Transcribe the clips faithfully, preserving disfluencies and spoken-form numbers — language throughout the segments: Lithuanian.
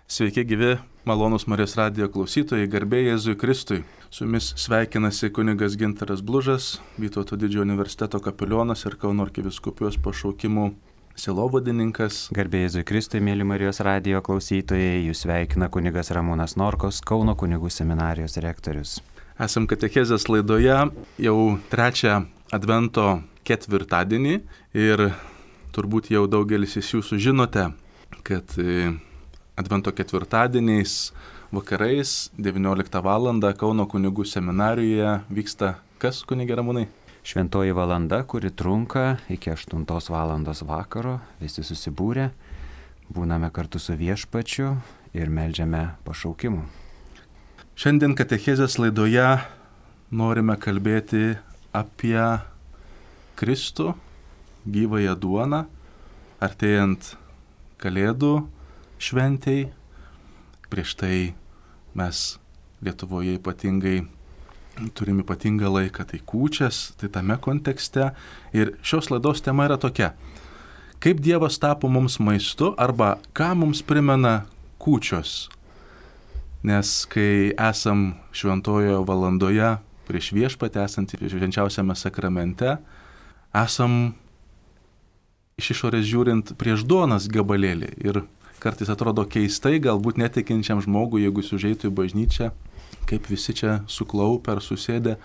Sveiki gyvi, malonūs Marijos radijo klausytojai, garbė Jėzui Kristui. Su jumis sveikinasi kunigas Gintaras Blužas, Vytauto didžiojo universiteto kapelionas ir Kauno arkivyskupijos pašaukimų sielovadininkas. Garbė Jėzui Kristui, mėly Marijos radijo klausytojai, jūs sveikina kunigas Ramūnas Norkos, Kauno kunigų seminarijos rektorius. Esam katechezės laidoje jau trečią advento ketvirtadienį ir turbūt jau daugelis iš jūsų žinote, kad Advento ketvirtadieniais vakarais devynioliktą valandą Kauno kunigų seminarijoje vyksta kas, kunige Ramūnai? Šventoji valanda, kuri trunka iki aštuntos valandos vakaro, visi susibūrę, būname kartu su viešpačiu ir meldžiame pašaukimų. Šiandien katechezės laidoje norime kalbėti apie Kristų, gyvąją duoną, artėjant Kalėdų šventei. Prieš tai mes Lietuvoje ypatingai turim ypatingą laiką, tai kūčias, tai tame kontekste. Ir šios laidos tema yra tokia: kaip Dievas tapo mums maistu arba ką mums primena kūčios. Nes kai esam šventojoje valandoje prieš viešpatį esantį švenčiausiame sakramente, esam iš išorės žiūrint prieš duonos gabalėlį. Ir kartais atrodo keistai, galbūt netikinčiam žmogui, jeigu jis užeitų į bažnyčią, kaip visi čia suklaupę ar susėdę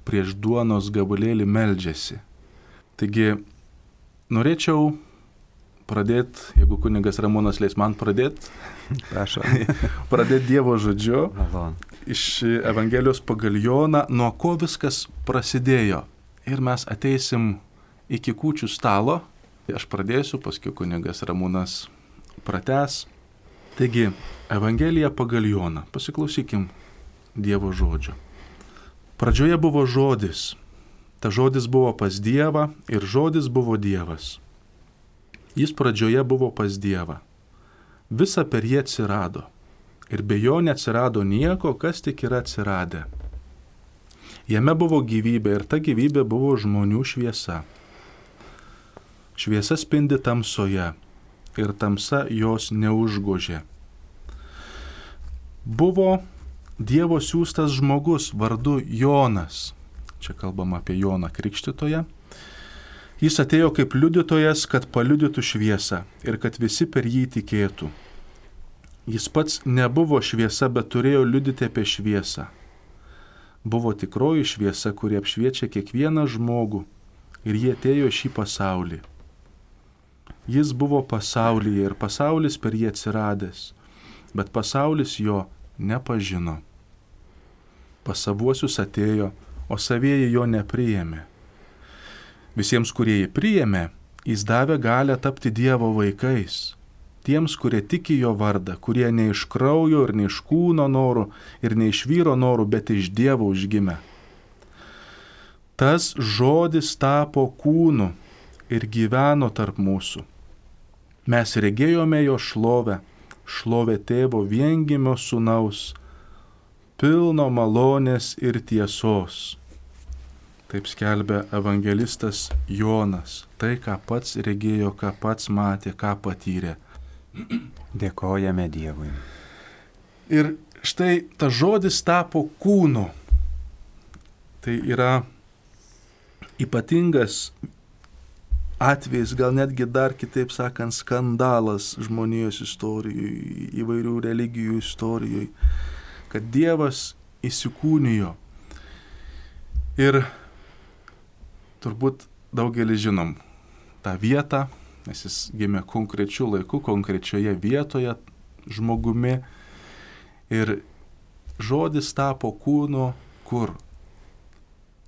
prieš duonos gabalėlį meldžiasi. Taigi, norėčiau pradėti, jeigu kunigas Ramūnas leis man pradėti, prašau, pradėti Dievo žodžiu Malon. Iš Evangelijos pagal Joną, nuo ko viskas prasidėjo. Ir mes ateisim iki kūčių stalo. Aš pradėsiu, paskui kunigas Ramūnas pratęs. Taigi, Evangelija pagal Joną. Pasiklausykim Dievo žodžio. Pradžioje buvo žodis. Ta žodis buvo pas Dievą ir žodis buvo Dievas. Jis pradžioje buvo pas Dievą. Visa per jį atsirado. Ir be jo neatsirado nieko, kas tik yra atsiradę. Jame buvo gyvybė ir ta gyvybė buvo žmonių šviesa. Šviesa spindi tamsoje ir tamsa jos neužgožė. Buvo Dievo siųstas žmogus vardu Jonas. Čia kalbama apie Joną Krikštytoją. Jis atėjo kaip liudytojas, kad paliudytų šviesą ir kad visi per jį tikėtų. Jis pats nebuvo šviesa, bet turėjo liudyti apie šviesą. Buvo tikroji šviesa, kuri apšviečia kiekvieną žmogų, ir jie atėjo šį pasaulį. Jis buvo pasaulyje ir pasaulis per jį atsiradęs, bet pasaulis jo nepažino. Pas savuosius atėjo, o savieji jo nepriėmė. Visiems, kurie jį priėmė, jis davė galią tapti Dievo vaikais. Tiems, kurie tiki jo vardą, kurie ne iš kraujo ir ne iš kūno norų ir ne iš vyro norų, bet iš Dievo užgimė. Tas žodis tapo kūnu ir gyveno tarp mūsų. Mes regėjome jo šlovę, šlovę tėvo viengimio sūnaus, pilno malonės ir tiesos. Taip skelbia evangelistas Jonas, tai ką pats regėjo, ką pats matė, ką patyrė. Dėkojame Dievui. Ir štai tas žodis tapo kūnu. Tai yra ypatingas atvejis, gal netgi dar kitaip sakant, skandalas žmonijos istorijoje, įvairių religijų istorijoje, kad Dievas įsikūnijo. Ir turbūt daugelis žinom tą vietą, nes jis gimė konkrečiu laiku, konkrečioje vietoje žmogumi. Ir žodis tapo kūnu kur?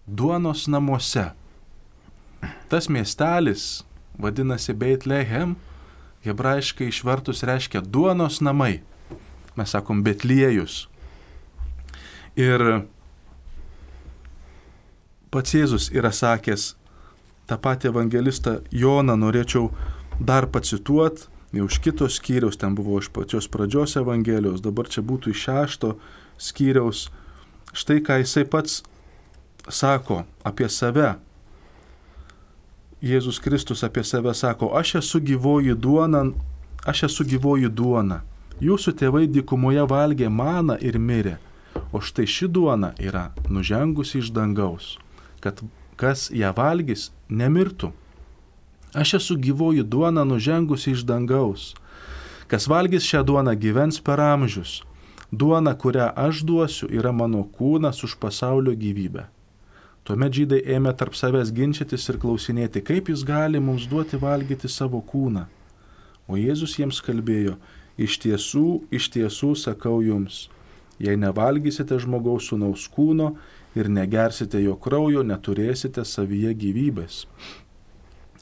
Duonos namuose. Tas miestelis vadinasi Beitlehem, hebrajiškai išvertus reiškia duonos namai. Mes sakom Betliejus. Ir pats Jėzus yra sakęs, tą patį evangelistą Joną norėčiau dar pacituoti, jau iš kitos skyriaus, ten buvo iš pačios pradžios evangelijos, dabar čia būtų iš šešto skyriaus. Štai ką jisai pats sako apie save. Jėzus Kristus apie save sako, aš esu gyvoji duona, aš esu gyvoji duona. Jūsų tėvai dykumoje valgė maną ir mirė, o štai ši duona yra nužengusi iš dangaus, kad kas ją valgys, nemirtų. Aš esu gyvoji duona nužengusi iš dangaus. Kas valgys šią duoną gyvens per amžius. Duona, kurią aš duosiu, yra mano kūnas už pasaulio gyvybę. Tuomet žydai ėmė tarp savęs ginčytis ir klausinėti, kaip jis gali mums duoti valgyti savo kūną. O Jėzus jiems kalbėjo, iš tiesų, iš tiesų sakau jums, jei nevalgysite žmogaus sūnaus kūno ir negersite jo kraujo, neturėsite savyje gyvybės.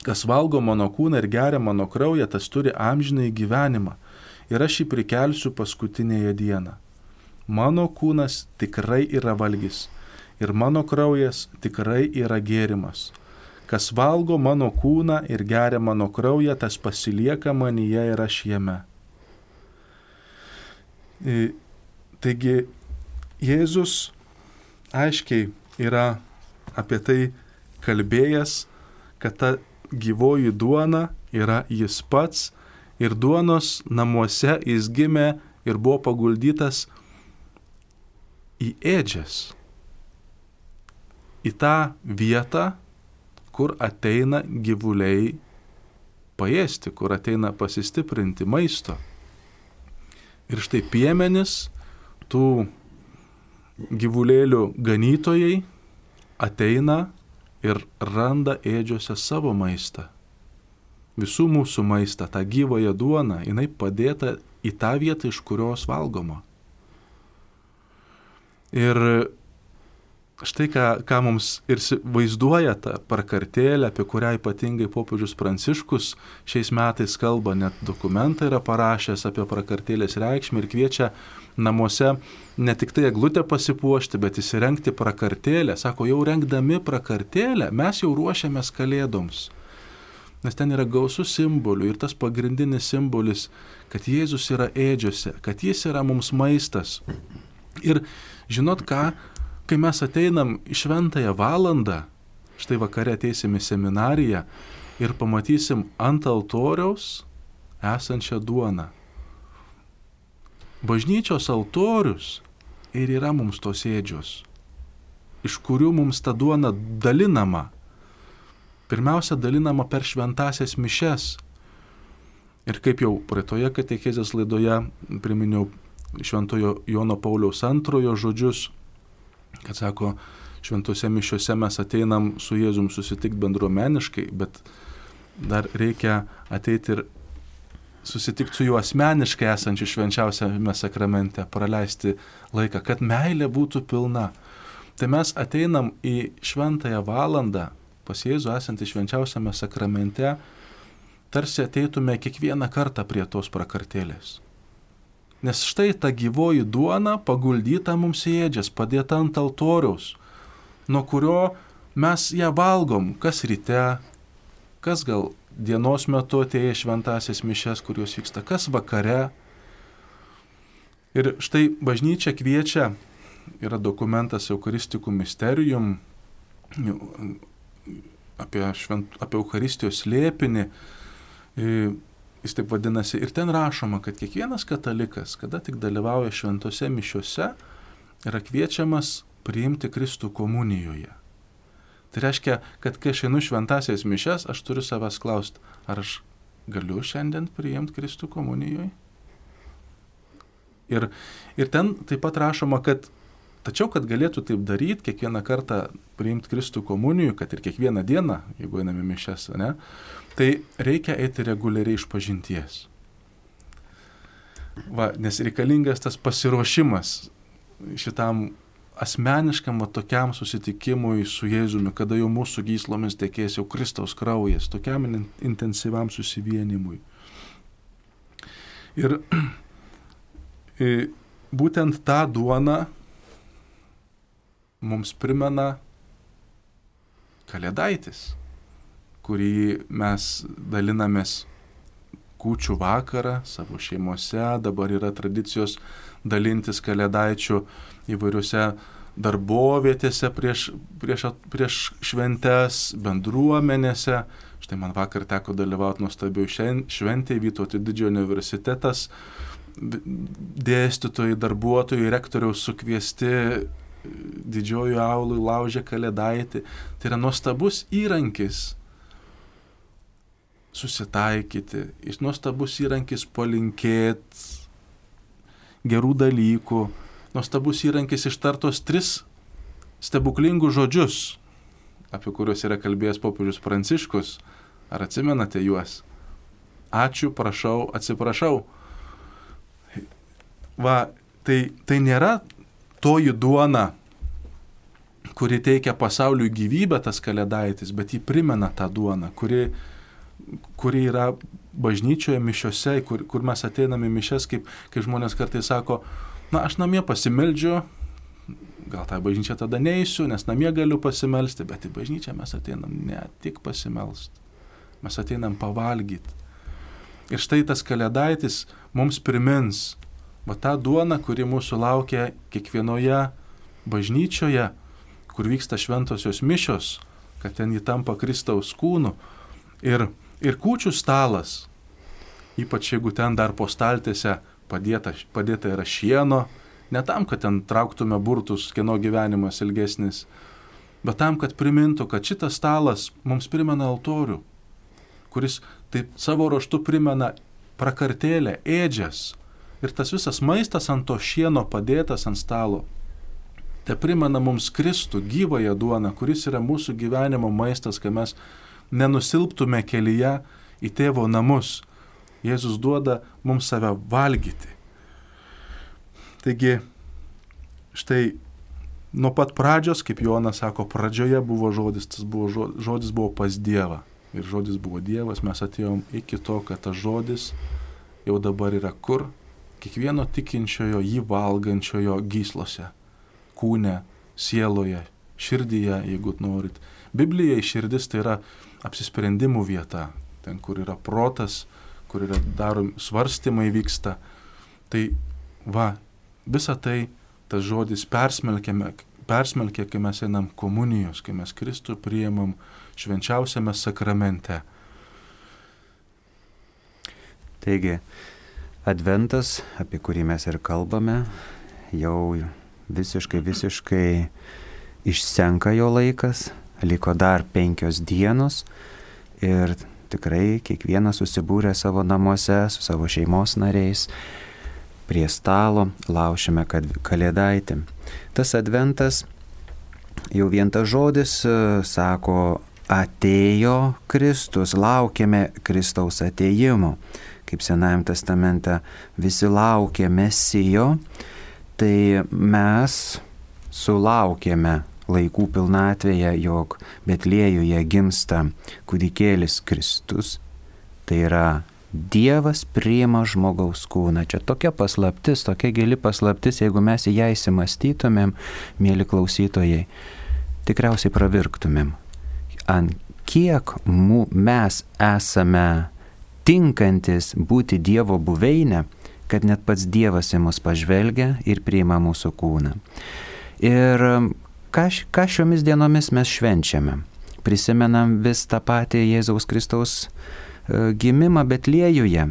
Kas valgo mano kūną ir geria mano kraują, tas turi amžinąjį gyvenimą ir aš jį prikelsiu paskutinėje dieną. Mano kūnas tikrai yra valgis ir mano kraujas tikrai yra gėrimas. Kas valgo mano kūną ir geria mano kraują, tas pasilieka manyje ir aš jame. Taigi Jėzus aiškiai yra apie tai kalbėjęs, kad ta gyvoji duona yra jis pats ir duonos namuose jis gimė ir buvo paguldytas į ėdžias, į tą vietą, kur ateina gyvuliai paėsti, kur ateina pasistiprinti maisto. Ir štai piemenis, tų gyvulėlių ganytojai ateina ir randa ėdžiose savo maistą. Visų mūsų maistą, tą gyvąją duoną, jinai padėta į tą vietą, iš kurios valgoma. Ir štai ką, ką mums ir vaizduoja ta prakartėlė, apie kurią ypatingai popiežius Pranciškus šiais metais kalba, net dokumentą yra parašęs apie prakartėlės reikšmę ir kviečia namuose ne tik tai eglutę pasipuošti, bet įsirengti prakartėlę. Sako, jau rengdami prakartėlę mes jau ruošiamės kalėdoms. Nes ten yra gausų simbolių ir tas pagrindinis simbolis, kad Jėzus yra ėdžiose, kad jis yra mums maistas. Ir žinot ką, kai mes ateinam į šventąją valandą, štai vakare ateisim į seminariją ir pamatysim ant altoriaus esančią duoną. Bažnyčios altorius ir yra mums tos ėdžios, iš kurių mums ta duona dalinama. Pirmiausia, dalinama per šventąsias mišes. Ir kaip jau praeitoje katechezės laidoje priminiau šventojo Jono Pauliaus antrojo žodžius, kad sako, šventose mišiose mes ateinam su Jėzum susitikti bendruomeniškai, bet dar reikia ateiti ir susitikti su juo asmeniškai esančiu švenčiausiame sakramente, praleisti laiką, kad meilė būtų pilna. Tai mes ateinam į šventąją valandą pas Jėzų esantį švenčiausiame sakramente, tarsi ateitume kiekvieną kartą prie tos prakartėlės. Nes štai ta gyvoji duona paguldyta mums į ėdžias, padėta ant altoriaus, nuo kurio mes ją valgom, kas ryte, kas gal dienos metu atėję šventąsias mišes, kurios vyksta, kas vakare. Ir štai bažnyčia kviečia, yra dokumentas Eucharisticum Mysterium, apie, švent, apie Eucharistijos slėpinį, jis taip vadinasi, ir ten rašoma, kad kiekvienas katalikas, kada tik dalyvauja šventose mišiose, yra kviečiamas priimti Kristų komunijoje. Tai reiškia, kad kai aš einu šventąsias mišes, aš turiu savęs klausti, ar aš galiu šiandien priimti Kristų komunijoje? Ir, ir ten taip pat rašoma, kad tačiau, kad galėtų taip daryti, kiekvieną kartą priimti Kristų komunijų, kad ir kiekvieną dieną, jeigu einame mišias, ne, tai reikia eiti reguliariai iš pažinties. Va, nes reikalingas tas pasiruošimas šitam asmeniškam tokiam susitikimui su Jėzumi, kada jau mūsų gyslomis tekės jau Kristaus kraujas, tokiam intensyviam susivienimui. Ir būtent tą duoną mums primena Kalėdaitis, kurį mes dalinamės kūčių vakarą savo šeimose, dabar yra tradicijos dalintis Kalėdaičių įvairiuose darbovietėse prieš, prieš, prieš šventes, bendruomenėse. Štai man vakar teko dalyvauti nuostabioj šventėje, Vytauto didžiojo universitetas dėstytojai, darbuotojai, rektoriaus sukviesti didžiojų aulų laužė Kalėdaitį. Tai yra nuostabus įrankis susitaikyti, nuostabus įrankis palinkėti gerų dalykų, nuostabus įrankis ištartos tris stebuklingus žodžius, apie kuriuos yra kalbėjęs popiežius Pranciškus. Ar atsimenate juos? Ačiū, prašau, atsiprašau. Va, tai, tai nėra toji duona, kuri teikia pasauliui gyvybę, tas Kalėdaitis, bet jį primena tą duoną, kuri, kuri yra bažnyčioje mišiose, kur, kur mes ateiname mišes, kaip, kaip žmonės kartais sako, na, aš namie pasimeldžiu, gal tą bažnyčią tada neįsiu, nes namie galiu pasimelsti, bet į bažnyčią mes ateinam ne tik pasimelsti, mes ateinam pavalgyti. Ir štai tas Kalėdaitis mums primins, va tą duoną, kuri mūsų laukia kiekvienoje bažnyčioje, kur vyksta šventosios mišios, kad ten jį tampa Kristaus kūnu. Ir, ir kūčių stalas, ypač jeigu ten dar po staltiese padėta, padėta yra šieno, ne tam, kad ten trauktume burtus, kieno gyvenimas ilgesnis, bet tam, kad primintų, kad šitas stalas mums primena altorių, kuris taip savo ruožtu primena prakartėlę, ėdžias. Ir tas visas maistas ant to šieno padėtas ant stalo, te primena mums Kristų, gyvąją duoną, kuris yra mūsų gyvenimo maistas, kad mes nenusilptume kelyje į tėvo namus. Jėzus duoda mums save valgyti. Taigi, štai nuo pat pradžios, kaip Jonas sako, pradžioje buvo žodis, tas buvo žodis, žodis buvo pas Dievą. Ir žodis buvo Dievas, mes atėjom iki to, kad tas žodis jau dabar yra kur? Kiekvieno tikinčiojo, jį valgančiojo gyslose, kūne, sieloje, širdyje, jeigu norit. Biblijai širdis tai yra apsisprendimų vieta, ten, kur yra protas, kur yra darom, svarstymai vyksta. Tai va, visą tai, tas žodis persmelkėme, persmelkė, kai mes einam komunijos, kai mes Kristų priimam švenčiausiame sakramente. Taigi, Adventas, apie kurį mes ir kalbame, jau visiškai, visiškai išsenka jo laikas, liko dar penkios dienos ir tikrai kiekvienas susibūrė savo namuose su savo šeimos nariais, prie stalo laušime Kalėdaitį. Tas Adventas, jau vien tas žodis sako, atėjo Kristus, laukiame Kristaus atėjimo. Kaip Senajam testamente visi laukia Mesijo, tai mes sulaukėme laikų pilnatvėje, jog Betliejuje gimsta kūdikėlis Kristus, tai yra Dievas priima žmogaus kūną. Čia tokia paslaptis, tokia gili paslaptis, jeigu mes į ją įsimastytumėm, mėly klausytojai, tikriausiai pravirktumėm. Ant kiek mes esame tinkantis būti Dievo buveinė, kad net pats Dievas į mus pažvelgia ir priima mūsų kūną. Ir ką, ką šiomis dienomis mes švenčiame? Prisimenam vis tą patį Jėzaus Kristaus gimimą Betliejuje.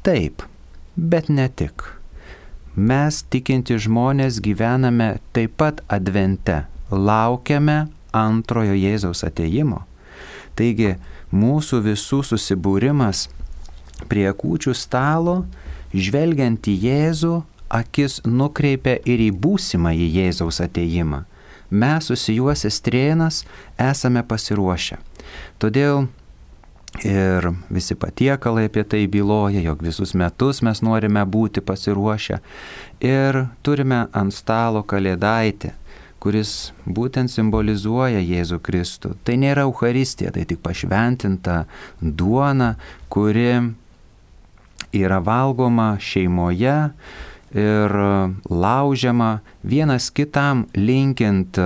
Taip, bet ne tik. Mes tikinti žmonės gyvename taip pat Advente, laukiame antrojo Jėzaus atėjimo. Taigi mūsų visų susibūrimas prie kūčių stalo, žvelgiant į Jėzų, akis nukreipia ir į būsimą į Jėzaus atėjimą. Mes susijuosę strėnas esame pasiruošę. Todėl ir visi patiekalai apie tai byloja, jog visus metus mes norime būti pasiruošę. Ir turime ant stalo Kalėdaitį, kuris būtent simbolizuoja Jėzų Kristų. Tai nėra Eucharistija, tai tik pašventinta duona, kuri yra valgoma šeimoje ir laužiama vienas kitam linkint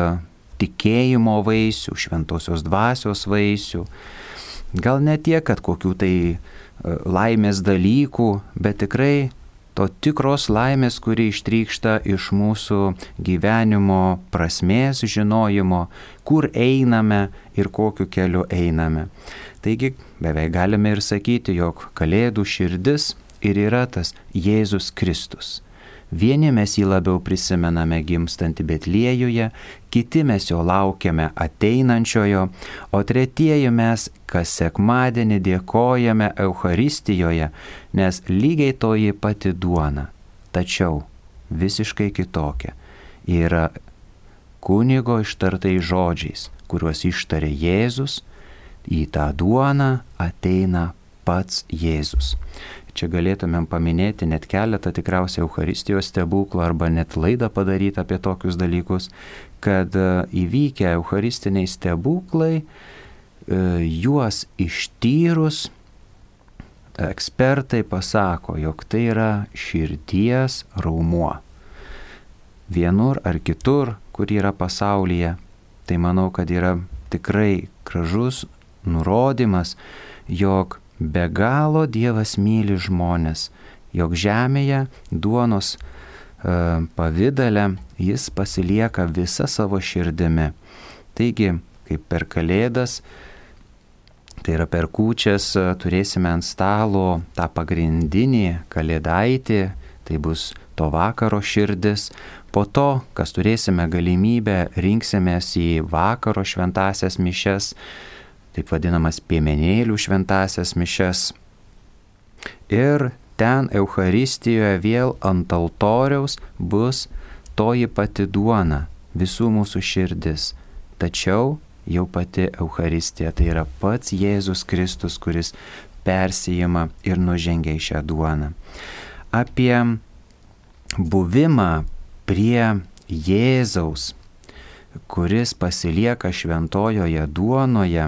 tikėjimo vaisių, šventosios dvasios vaisių. Gal ne tiek, kad kokių tai laimės dalykų, bet tikrai to tikros laimės, kuri ištrykšta iš mūsų gyvenimo prasmės žinojimo, kur einame ir kokiu keliu einame. Taigi beveik galime ir sakyti, jog Kalėdų širdis ir yra tas Jėzus Kristus. Vieni mes jį labiau prisimename gimstantį Betliejuje, kiti mes jo laukiame ateinančiojo, o tretieji mes kas sekmadienį dėkojame Eucharistijoje, nes lygiai toji pati duona, tačiau visiškai kitokia. Yra kunigo ištartais žodžiais, kuriuos ištarė Jėzus, į tą duoną ateina pats Jėzus. Čia galėtumėm paminėti net keletą tikriausiai Eucharistijos stebuklų arba net laidą padaryti apie tokius dalykus, kad įvykę Eucharistiniai stebuklai, juos ištyrus, ekspertai pasako, jog tai yra širdies raumuo. Vienur ar kitur, kur yra pasaulyje, tai manau, kad yra tikrai gražus nurodymas, jog be galo Dievas myli žmonės, jog žemėje duonos e, pavidale jis pasilieka visa savo širdimi. Taigi, kaip per Kalėdas, tai yra per kūčias, turėsime ant stalo tą pagrindinį kalėdaitį, tai bus to vakaro širdis. Po to, kas turėsime galimybę, rinksimės į vakaro šventasias mišias, taip vadinamas piemenėlių šventasias mišias. Ir ten Eucharistijoje vėl ant altoriaus bus toji pati duona, visų mūsų širdis. Tačiau jau pati Eucharistija, tai yra pats Jėzus Kristus, kuris persijima ir nužengia į šią duoną. Apie buvimą prie Jėzaus, kuris pasilieka šventojoje duonoje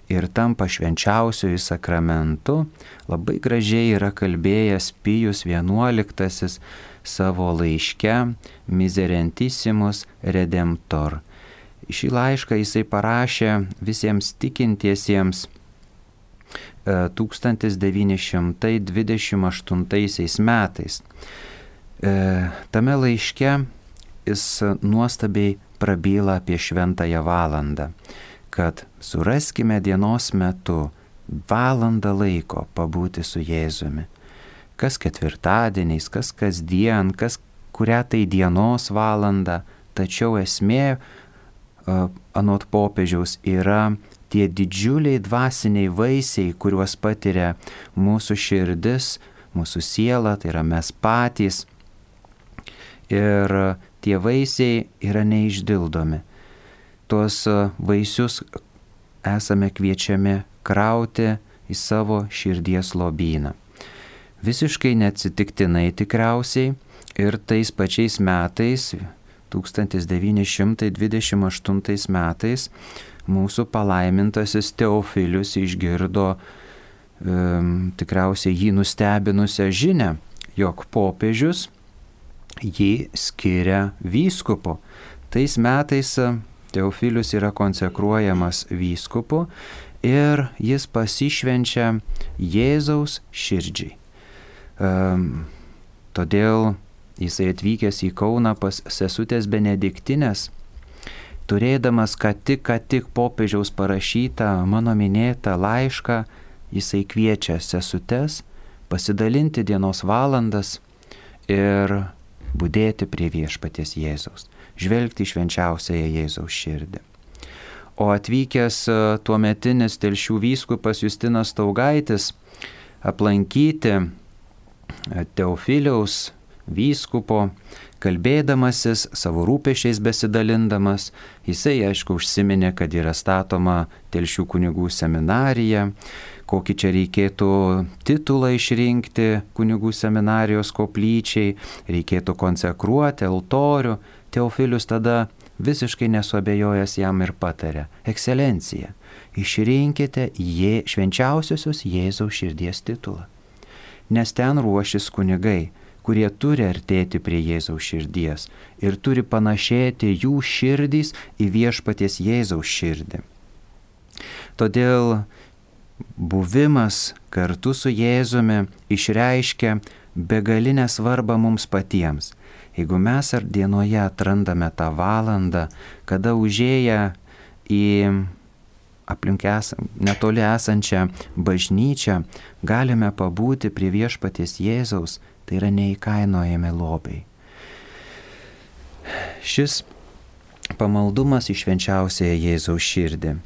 ir tampa švenčiausiuoju sakramentu, labai gražiai yra kalbėjęs Pijus vienuoliktasis savo laiške Miserentissimus Redemptor. Šį laišką jisai parašė visiems tikintiesiems tūkstantis devyni šimtai dvidešimt aštuntaisiais metais. Tame laiške jis nuostabiai prabyla apie šventąją valandą, kad suraskime dienos metu valandą laiko pabūti su Jėzumi. Kas ketvirtadieniais, kas kasdien, kas kurią tai dienos valandą, tačiau esmė, anot popiežiaus, yra tie didžiuliai dvasiniai vaisiai, kuriuos patiria mūsų širdis, mūsų siela, tai yra mes patys. Ir tie vaisiai yra neišdildomi. Tuos vaisius esame kviečiami krauti į savo širdies lobyną. Visiškai neatsitiktinai tikriausiai ir tais pačiais metais, tūkstantis devyni šimtai dvidešimt aštuntais metais, mūsų palaimintasis Teofilius išgirdo um, tikriausiai jį nustebinusią žinią, jog popiežius jį skiria vyskupu. Tais metais Teofilius yra konsekruojamas vyskupu ir jis pasišvenčia Jėzaus širdžiai. Um, todėl jisai atvykęs į Kauną pas sesutės Benediktinės, turėdamas ką tik, ką tik popiežiaus parašytą mano minėtą laišką, jisai kviečia sesutes pasidalinti dienos valandas ir budėti prie viešpaties Jėzaus, žvelgti į švenčiausiąją Jėzaus širdį. O atvykęs tuometinis Telšių vyskupas Justinas Staugaitis aplankyti Teofiliaus vyskupo, kalbėdamasis, savo rūpesčiais besidalindamas, jisai aišku užsiminė, kad yra statoma Telšių kunigų seminarija, kokį čia reikėtų titulą išrinkti kunigų seminarijos koplyčiai, reikėtų konsekruoti altorių. Teofilius tada visiškai nesuabejojęs jam ir patarė: Ekscelencija, išrinkite jie švenčiausiosios Jėzaus širdies titulą, nes ten ruošis kunigai, kurie turi artėti prie Jėzaus širdies ir turi panašėti jų širdys į viešpaties Jėzaus širdį. Todėl buvimas kartu su Jėzumi išreiškia begalinę svarbą mums patiems. Jeigu mes ar dienoje atrandame tą valandą, kada užėję į aplink es, netoli esančią bažnyčią, galime pabūti prie viešpaties Jėzaus, tai yra neįkainojami lobiai. Šis pamaldumas į švenčiausiąją Jėzaus širdį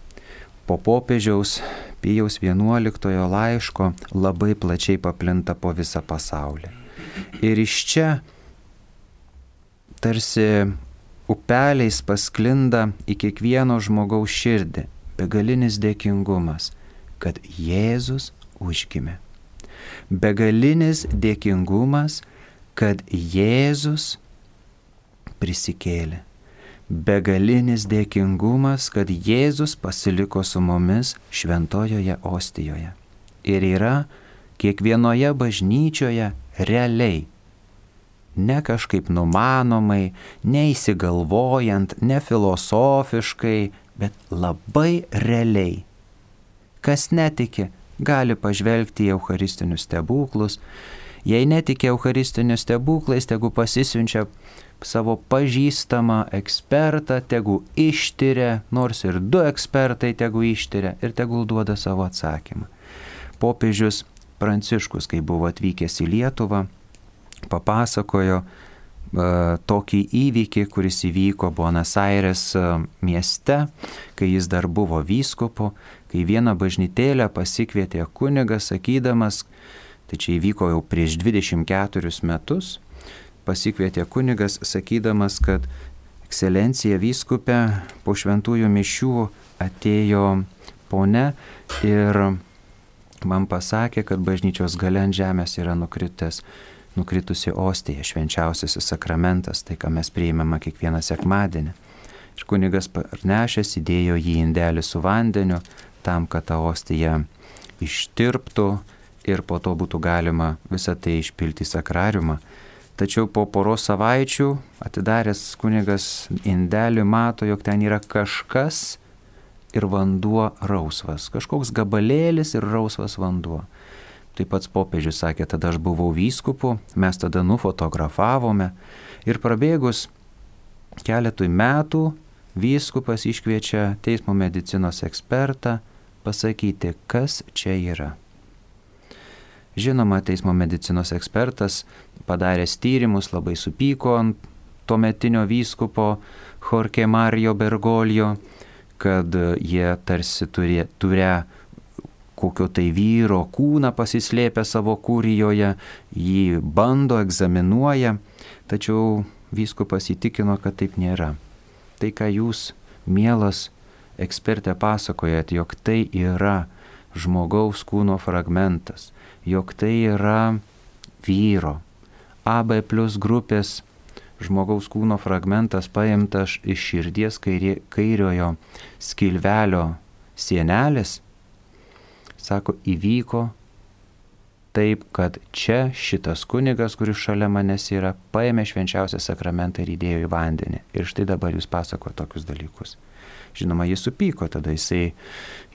po popiežiaus Pijaus vienuoliktojo laiško labai plačiai paplinta po visą pasaulį. Ir iš čia tarsi upeliais pasklinda į kiekvieno žmogaus širdį begalinis dėkingumas, kad Jėzus užgimė. Begalinis dėkingumas, kad Jėzus prisikėlė. Begalinis dėkingumas, kad Jėzus pasiliko su mumis šventojoje ostijoje. Ir yra kiekvienoje bažnyčioje realiai, ne kažkaip numanomai, neįsigalvojant, ne filosofiškai, bet labai realiai. Kas netiki, gali pažvelgti į eucharistinius stebuklus. Jei netiki eucharistinius stebuklais, tegu pasisiunčia savo pažįstamą ekspertą, tegu ištiria, nors ir du ekspertai tegu ištiria ir tegul duoda savo atsakymą. Popiežius Pranciškus, kai buvo atvykęs į Lietuvą, papasakojo uh, tokį įvykį, kuris įvyko Buenos Aires uh, mieste, kai jis dar buvo vyskupu, kai vieną bažnytėlę pasikvietė kunigas, sakydamas, tai čia įvyko jau prieš dvidešimt keturis metus, pasikvietė kunigas, sakydamas, kad ekscelencija vyskupė po šventųjų mišių atėjo ponia ir man pasakė, kad bažnyčios gale ant žemės yra nukritęs, nukritusi ostija, švenčiausiasis sakramentas, tai ką mes priimame kiekvieną sekmadienį. Ir kunigas parnešęs įdėjo jį į indelį su vandeniu, tam, kad ta ostija ištirptų ir po to būtų galima visą tai išpilti į sakrariumą. Tačiau po poros savaičių atidaręs kunigas indelį mato, jog ten yra kažkas ir vanduo rausvas. Kažkoks gabalėlis ir rausvas vanduo. Taip pats popiežius sakė, tada aš buvau vyskupu, mes tada nufotografavome ir prabėgus keletui metų vyskupas iškviečia teismo medicinos ekspertą pasakyti, kas čia yra. Žinoma, teismo medicinos ekspertas padaręs tyrimus labai supyko ant tuometinio vyskupo Jorge Mario Bergoglio, kad jie tarsi turė, turė kokio tai vyro kūną pasislėpę savo kurijoje, jį bando, egzaminuoja, tačiau vyskupas įtikino, kad taip nėra. Tai, ką jūs, mielas ekspertė, pasakojat, jog tai yra žmogaus kūno fragmentas, jog tai yra vyro, A B plus grupės žmogaus kūno fragmentas paimtas iš širdies kairė, kairiojo skilvelio sienelės, sako, įvyko taip, kad čia šitas kunigas, kuris šalia manęs yra, paėmė švenčiausią sakramentą ir įdėjo į vandenį. Ir štai dabar jūs pasako tokius dalykus. Žinoma, jis supyko, tada jisai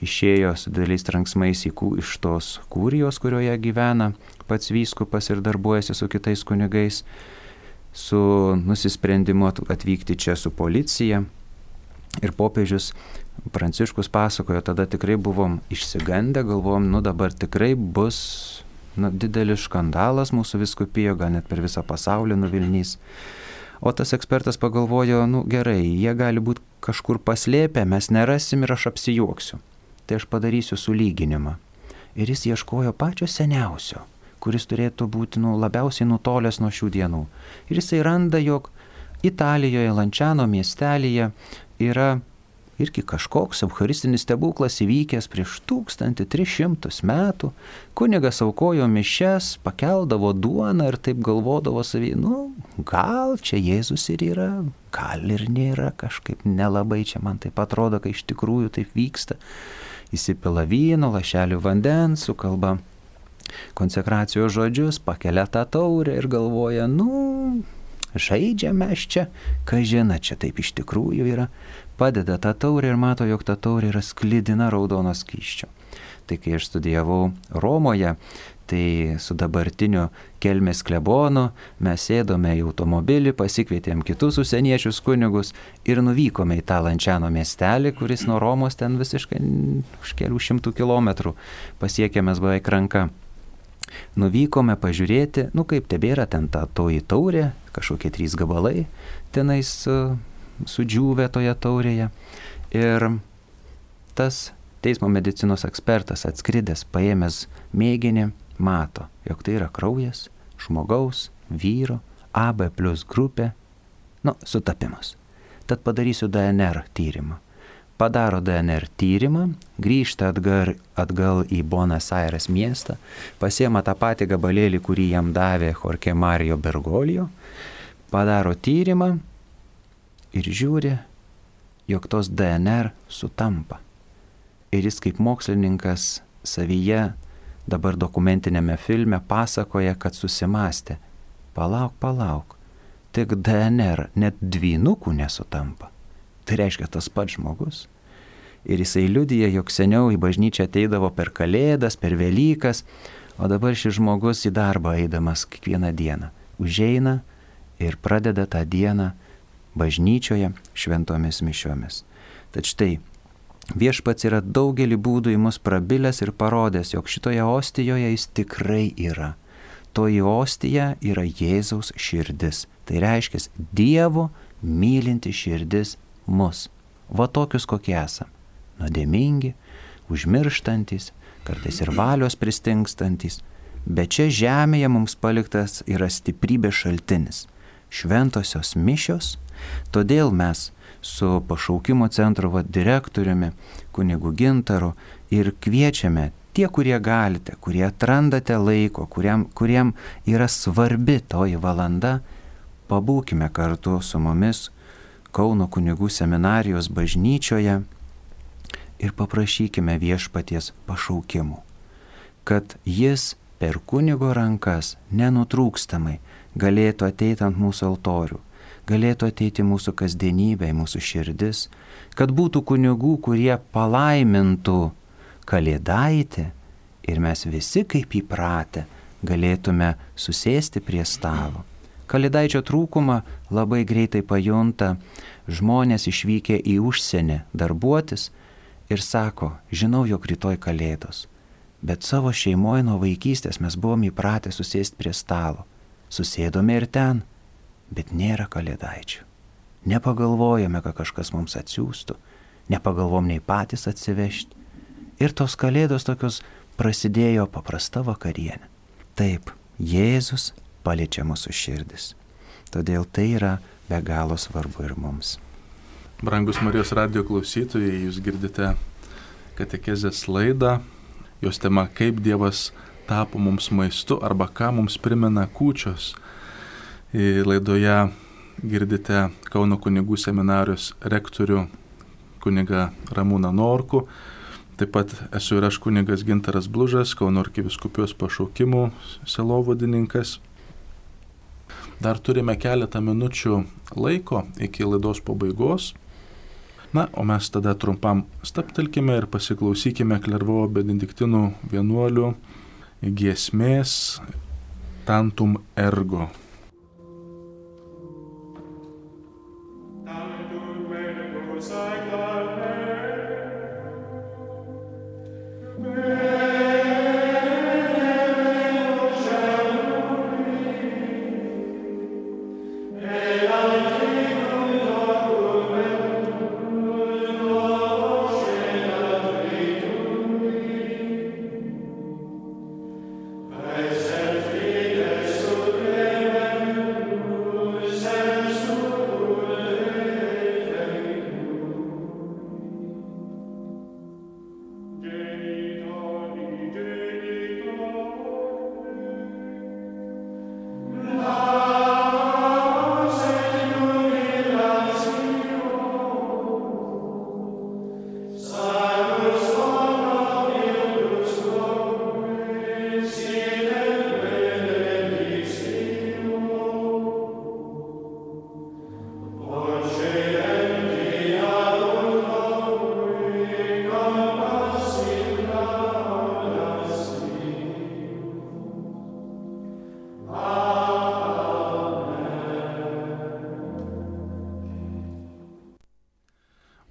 išėjo su dideliais tranksmais iš tos kurijos, kurioje gyvena pats vyskupas ir darbuojasi su kitais kunigais, su nusisprendimu atvykti čia su policija. Ir popiežius Pranciškus pasakojo, tada tikrai buvom išsigandę, galvom, nu dabar tikrai bus nu, didelis skandalas mūsų vyskupijoje, gal net per visą pasaulį nuvilnys. O tas ekspertas pagalvojo, nu gerai, jie gali būti kažkur paslėpę, mes nerasim ir aš apsijuoksiu. Tai aš padarysiu sulyginimą. Ir jis ieškojo pačio seniausio, kuris turėtų būti nu, labiausiai nutolęs nuo šių dienų. Ir jisai randa, jog Italijoje, Lančiano miestelyje yra irgi kažkoks eucharistinis stebuklas įvykęs prieš tūkstantį tris šimtus metų. Kunigas aukojo mišias, pakeldavo duoną ir taip galvodavo savį, nu, gal čia Jėzus ir yra, gal ir nėra, kažkaip nelabai čia man taip atrodo, kai iš tikrųjų taip vyksta. Įsipila vyno, lašelių vandens, sukalba konsekracijos žodžius, pakelia tą taurę ir galvoja, nu, žaidžiame mes čia, ką žina, čia taip iš tikrųjų yra. Padeda tą taurę ir mato, jog ta taurė yra sklidina raudono skysčio. Tai kai aš studijavau Romoje, tai su dabartiniu Kelmės klebonu mes sėdome į automobilį, pasikvietėm kitus užsieniečius kunigus ir nuvykome į tą Lančiano miestelį, kuris nuo Romos ten visiškai už kelių šimtų kilometrų pasiekėmės beveik ranka. Nuvykome pažiūrėti, nu kaip tebėra ten ta toji taurė, kažkokie trys gabalai tenais su, sudžiūvę toje taurėje. Ir tas teismo medicinos ekspertas atskridęs, paėmęs mėginį, mato, jog tai yra kraujas žmogaus, vyro, A B plus grupė, nu, sutapimas. Tad padarysiu D N R tyrimą. Padaro D N R tyrimą, grįžta atgal, atgal į Buenos Aires miestą, pasiema tą patį gabalėlį, kurį jam davė Jorge Mario Bergoglio, padaro tyrimą ir žiūri, jog tos D N R sutampa. Ir jis kaip mokslininkas savyje dabar dokumentinėme filme pasakoja, kad susimastė. Palauk, palauk, tik D N R net dvynukų nesutampa. Tai reiškia tas pats žmogus. Ir jisai liudija, jog seniau į bažnyčią ateidavo per Kalėdas, per Velykas, o dabar šis žmogus į darbą eidamas kiekvieną dieną užeina ir pradeda tą dieną bažnyčioje šventomis mišiomis. Tad štai, Viešpats yra daugelį būdų į mus prabilęs ir parodęs, jog šitoje ostijoje jis tikrai yra. Toji ostija yra Jėzaus širdis. Tai reiškia Dievo mylinti širdis mus. Va tokius kokie esam. Nuodėmingi, užmirštantis, kartais ir valios pristingstantis. Bet čia žemėje mums paliktas yra stiprybės šaltinis. Šventosios mišios. Todėl mes su pašaukimo centro va, direktoriumi, kunigu Gintaru ir kviečiame tie, kurie galite, kurie atrandate laiko, kuriam, kuriam yra svarbi toji valanda, pabūkime kartu su mumis Kauno kunigų seminarijos bažnyčioje ir paprašykime viešpaties pašaukimų, kad jis per kunigo rankas nenutrūkstamai galėtų ateiti ant mūsų altorių, galėtų ateiti mūsų kasdienybė, mūsų širdis, kad būtų kunigų, kurie palaimintų Kalėdaitį ir mes visi kaip įpratę galėtume susėsti prie stalo. Kalėdaičio trūkumą labai greitai pajunta žmonės išvykę į užsienį darbuotis ir sako, žinau, jog rytoj Kalėdos, bet savo šeimoje nuo vaikystės mes buvom įpratę susėsti prie stalo. Susėdome ir ten, bet nėra Kalėdaičių. Nepagalvojame, kad kažkas mums atsiųstų, nepagalvom nei patys atsivežti. Ir tos Kalėdos tokios prasidėjo paprasta vakarienė. Taip, Jėzus paliečia mūsų širdis. Todėl tai yra be galo svarbu ir mums. Brangus Marijos radijo klausytojai, jūs girdite katekezės laidą. Jos tema kaip Dievas tapo mums maistu arba ką mums primena kūčios. Laidoje girdite Kauno kunigų seminarijos rektorių kunigą Ramūną Norkų. Taip pat esu ir aš kunigas Gintaras Blužas, Kauno arkivyskupijos pašaukimų sielovadininkas. Dar turime keletą minučių laiko iki laidos pabaigos. Na, o mes tada trumpam stabtelkime ir pasiklausykime Klervovo benediktinų vienuolių giesmės Tantum Ergo. Amen.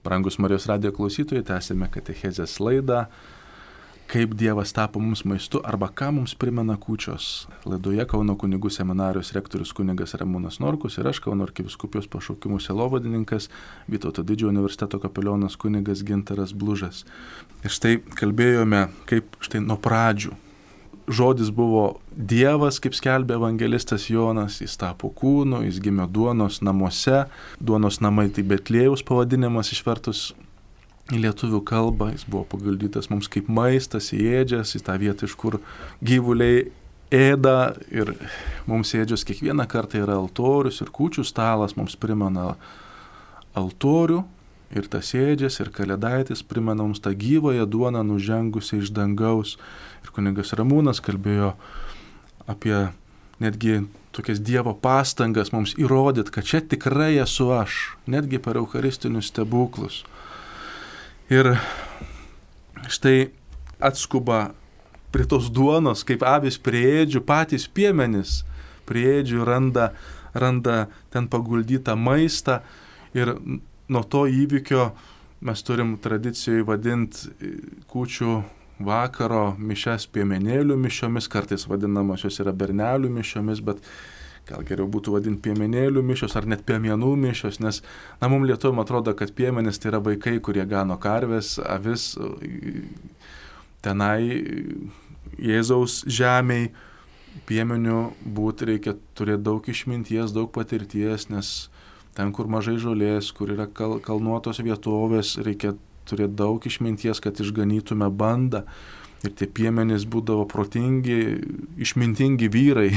Brangus Marijos radijo klausytojai, tęsime katechezės laidą, kaip Dievas tapo mums maistu arba ką mums primena kūčios. Laidoje Kauno kunigų seminarijos rektorius kunigas Ramūnas Norkus ir aš, Kauno arkivyskupijos pašaukimų sielovadininkas, Vytauto Didžiojo universiteto kapelionas kunigas Gintaras Blužas. Ir štai kalbėjome, kaip štai nuo pradžių žodis buvo Dievas, kaip skelbė evangelistas Jonas, jis tapo kūnu, jis gimė duonos namuose, duonos namai tai Betliejaus pavadinimas išvertus į lietuvių kalbą, jis buvo paguldytas mums kaip maistas, įėdžias, į tą vietą, iš kur gyvuliai ėda ir mums ėdžios kiekvieną kartą yra altorius ir kūčių stalas mums primena altorių ir tas ėdžias ir kalėdaitis primena mums tą gyvąją duoną nužengusią iš dangaus. Ir kunigas Ramūnas kalbėjo apie netgi tokias Dievo pastangas mums įrodyti, kad čia tikrai esu aš, netgi per eucharistinius stebuklus. Ir štai atskuba prie tos duonos, kaip avis prie ėdžių, patys piemenys prie ėdžių randa, randa ten paguldytą maistą. Ir nuo to įvykio mes turim tradicijoje vadinti kūčių vakaro mišias piemenėlių mišiomis, kartais vadinamos jos yra bernelių mišiomis, bet gal geriau būtų vadinti piemenėlių mišios ar net piemenų mišios, nes na, mums lietuviam atrodo, kad piemenys tai yra vaikai, kurie gano karves, avis tenai Jėzaus žemiai. Piemenių būti reikia turėti daug išminties, daug patirties, nes ten, kur mažai žolės, kur yra kal- kalnuotos vietovės, reikia turėti daug išminties, kad išganytume bandą. Ir tie piemenys būdavo protingi, išmintingi vyrai.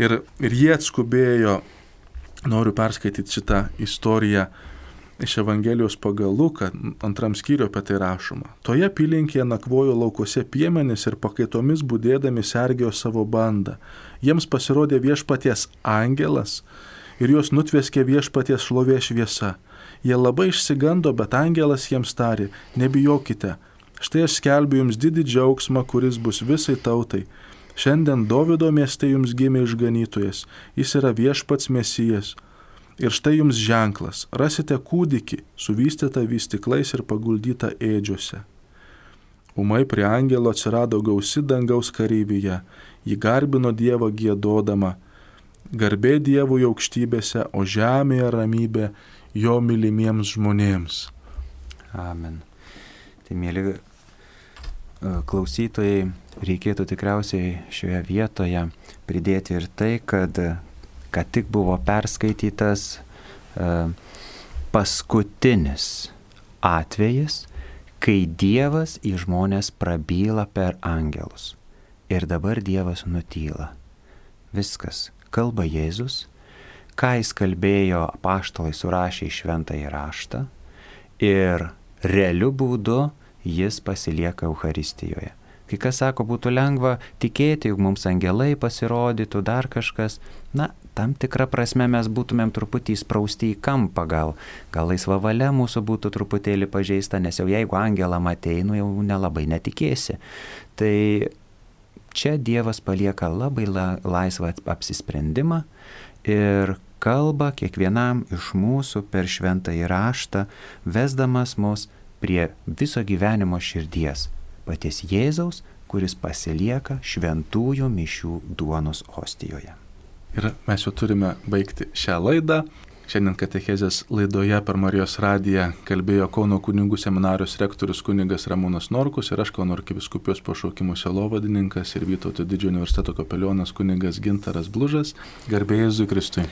ir, ir jie atskubėjo, noriu perskaityti šitą istoriją iš Evangelijos pagal Luką, antram skyriuje apie tai rašoma. Toje apylinkėje nakvojo laukuose piemenys ir pakaitomis budėdami sergėjo savo bandą. Jiems pasirodė viešpaties angelas ir juos nutveskė viešpaties šlovės šviesa. Jie labai išsigando, bet angelas jiems tarė, nebijokite, štai aš skelbiu jums didį džiaugsmą, kuris bus visai tautai. Šiandien Dovydo mieste jums gimė išganytojas, jis yra viešpats Mesijas. Ir štai jums ženklas, rasite kūdikį, suvystytą vystyklais ir paguldytą ėdžiuose. Ūmai prie angelo atsirado gausi dangaus kareivyje, ji garbino Dievą giedodama, garbė Dievui aukštybėse, o žemėje ramybė jo mylimiems žmonėms. Amen. Tai, mėly klausytojai, reikėtų tikriausiai šioje vietoje pridėti ir tai, kad ką tik buvo perskaitytas uh, paskutinis atvejis, kai Dievas į žmonės prabyla per angelus. Ir dabar Dievas nutyla. Viskas. Kalba Jėzus. Ką jis kalbėjo, apaštalai surašė į šventąjį raštą ir realiu būdu jis pasilieka Eucharistijoje. Kai kas sako, būtų lengva tikėti, jog mums angelai pasirodytų, dar kažkas. Na, tam tikrą prasme mes būtumėm truputį įsprausti į kampą, gal, gal laisva valia mūsų būtų truputėlį pažeista, nes jau jeigu angelą matei, nu jau nelabai netikėsi. Tai čia Dievas palieka labai la, laisvą apsisprendimą ir kalba kiekvienam iš mūsų per šventąjį raštą, vesdamas mus prie viso gyvenimo širdies, paties Jėzaus, kuris pasilieka šventųjų mišių duonos ostijoje. Ir mes jau turime baigti šią laidą. Šiandien katechezės laidoje per Marijos radiją kalbėjo Kauno kunigų seminarijos rektorius kunigas Ramūnas Norkus ir aš, Kauno arkivyskupijos pašaukimų sielovadininkas ir Vytauto Didžiojo universiteto kapelionas kunigas Gintaras Blužas. Garbė Jėzui Kristui.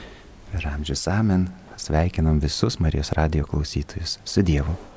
Ir amžius amen. Sveikinam visus Marijos radijo klausytojus. Su Dievu.